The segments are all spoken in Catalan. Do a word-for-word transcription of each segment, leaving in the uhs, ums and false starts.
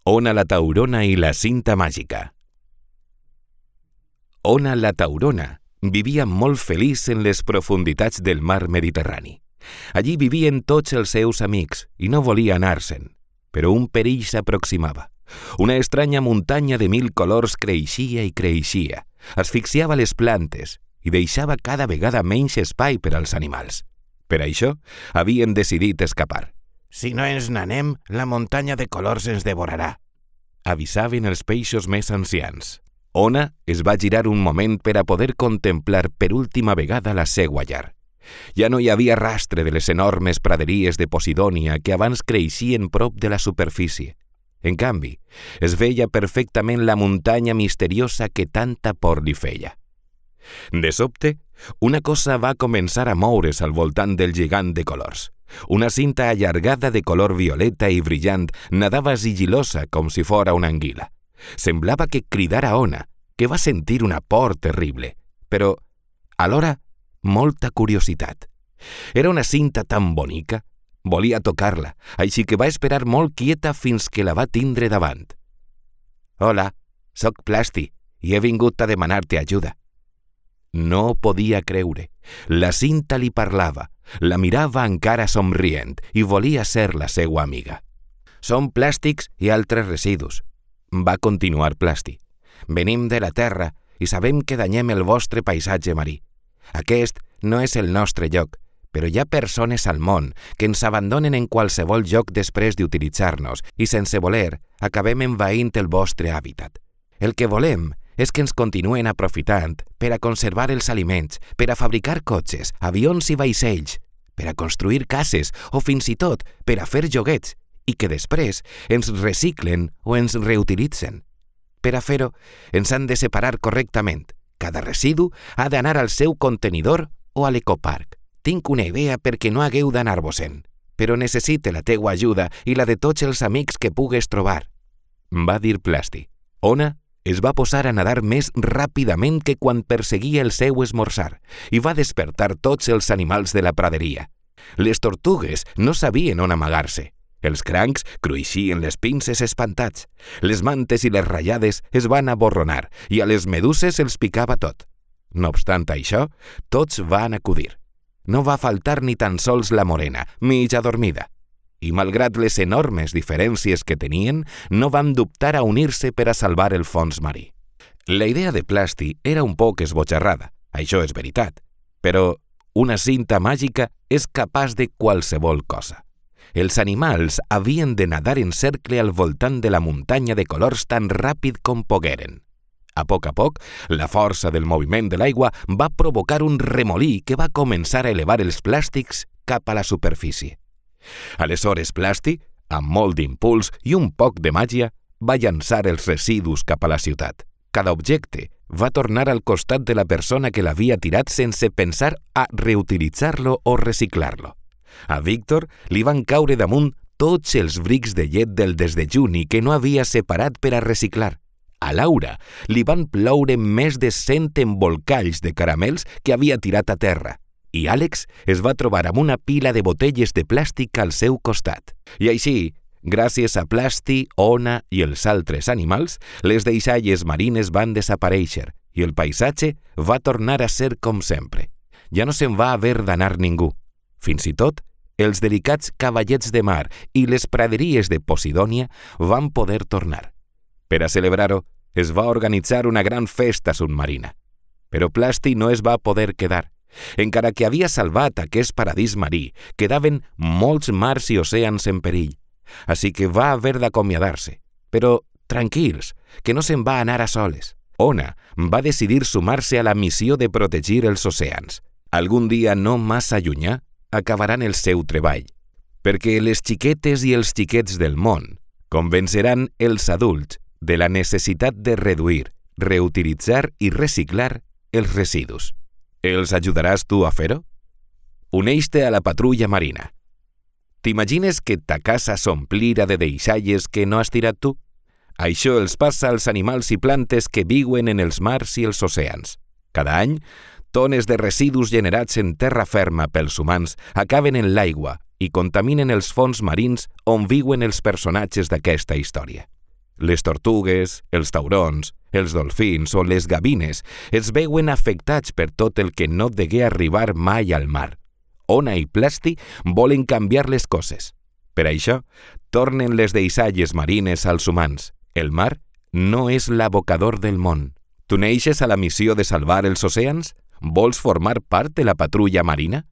Ona la taurona i la cinta màgica. Ona la taurona vivia molt feliç en les profunditats del mar Mediterrani. Allí vivien tots els seus amics i no volia anar-se'n, però un perill s'aproximava. Una estranya muntanya de mil colors creixia i creixia, asfixiava les plantes i deixava cada vegada menys espai per als animals. Per això, havien decidit escapar. «Si no ens n'anem, la muntanya de colors ens devorarà», avisaven els peixos més ancians. Ona es va girar un moment per a poder contemplar per última vegada la seua llar. Ja no hi havia rastre de les enormes praderies de Posidònia que abans creixien prop de la superfície. En canvi, es veia perfectament la muntanya misteriosa que tanta por li feia. De sobte, una cosa va començar a moure's al voltant del gegant de colors. Una cinta allargada de color violeta i brillant nadava sigil·losa com si fora una anguila. Semblava que cridara Ona, que va sentir una por terrible, però, alhora, molta curiositat. Era una cinta tan bonica, volia tocar-la, així que va esperar molt quieta fins que la va tindre davant. «Hola, soc Plasti i he vingut a demanar-te ajuda». No podia creure. La cinta li parlava, la mirava encara somrient i volia ser la seua amiga. «Som plàstics i altres residus», va continuar Plasti. «Venim de la Terra i sabem que danyem el vostre paisatge marí. Aquest no és el nostre lloc, però hi ha persones al món que ens abandonen en qualsevol lloc després d'utilitzar-nos i sense voler acabem envaint el vostre hàbitat. El que volem és que ens continuen aprofitant per a conservar els aliments, per a fabricar cotxes, avions i vaixells, per a construir cases o fins i tot per a fer joguets i que després ens reciclen o ens reutilitzen. Per a fer-ho, ens han de separar correctament. Cada residu ha d'anar al seu contenidor o a l'ecoparc. Tinc una idea perquè no hagueu d'anar-vos-en, però necessite la teua ajuda i la de tots els amics que pugues trobar», va dir Plasti. Ona es va posar a nadar més ràpidament que quan perseguia el seu esmorzar i va despertar tots els animals de la praderia. Les tortugues no sabien on amagar-se. Els crancs cruixien les pinces espantats. Les mantes i les ratllades es van aborronar i a les meduses els picava tot. No obstant això, tots van acudir. No va faltar ni tan sols la morena, mig adormida. I malgrat les enormes diferències que tenien, no van dubtar a unir-se per a salvar el fons marí. La idea de Plasti era un poc esbojarrada, això és veritat, però una cinta màgica és capaç de qualsevol cosa. Els animals havien de nadar en cercle al voltant de la muntanya de colors tan ràpid com pogueren. A poc a poc, la força del moviment de l'aigua va provocar un remolí que va començar a elevar els plàstics cap a la superfície. Aleshores Plasti, amb molt d'impuls i un poc de màgia, va llançar els residus cap a la ciutat. Cada objecte va tornar al costat de la persona que l'havia tirat sense pensar a reutilitzar-lo o reciclar-lo. A Víctor li van caure damunt tots els brics de llet del desdejuni que no havia separat per a reciclar. A Laura li van ploure més de cent embolcalls de caramels que havia tirat a terra. I Àlex es va trobar amb una pila de botelles de plàstic al seu costat. I així, gràcies a Plasti, Ona i els altres animals, les deixalles marines van desaparèixer i el paisatge va tornar a ser com sempre. Ja no se'n va haver d'anar ningú. Fins i tot, els delicats cavallets de mar i les praderies de Posidònia van poder tornar. Per a celebrar-ho, es va organitzar una gran festa submarina. Però Plasti no es va poder quedar. Encara que havia salvat aquest paradís marí, quedaven molts mars i oceans en perill. Així que va haver d'acomiadar-se. Però tranquils, que no se'n va anar a soles. Ona va decidir sumar-se a la missió de protegir els oceans. Algun dia no massa llunyà acabaran el seu treball, perquè les xiquetes i els xiquets del món convenceran els adults de la necessitat de reduir, reutilitzar i reciclar els residus. Els ajudaràs tu a fer-ho? Uneix-te a la patrulla marina. T'imagines que ta casa s'omplira de deixalles que no has tirat tu? Això els passa als animals i plantes que viuen en els mars i els oceans. Cada any, tones de residus generats en terra ferma pels humans acaben en l'aigua i contaminen els fons marins on viuen els personatges d'aquesta història. Les tortugues, els taurons, els dolfins o les gavines es veuen afectats per tot el que no degué arribar mai al mar. Ona i Plasti volen canviar les coses. Per això, tornen les deixalles marines als humans. El mar no és l'abocador del món. Tu neixes a la missió de salvar els oceans? Vols formar part de la patrulla marina?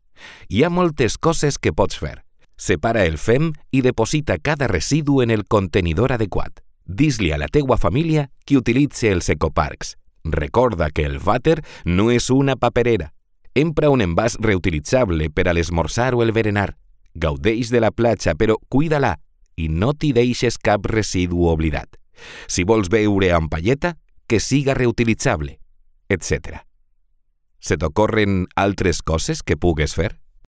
Hi ha moltes coses que pots fer. Separa el fem i deposita cada residu en el contenidor adequat. Dis-li a la teua família que utilitzi els ecoparcs. Recorda que el vàter no és una paperera. Empra un envàs reutilitzable per a l'esmorzar o el berenar. Gaudeix de la platja, però cuida-la i no t'hi deixes cap residu oblidat. Si vols beure amb palleta, que siga reutilitzable, etcètera. Se t'ocorren altres coses que pugues fer?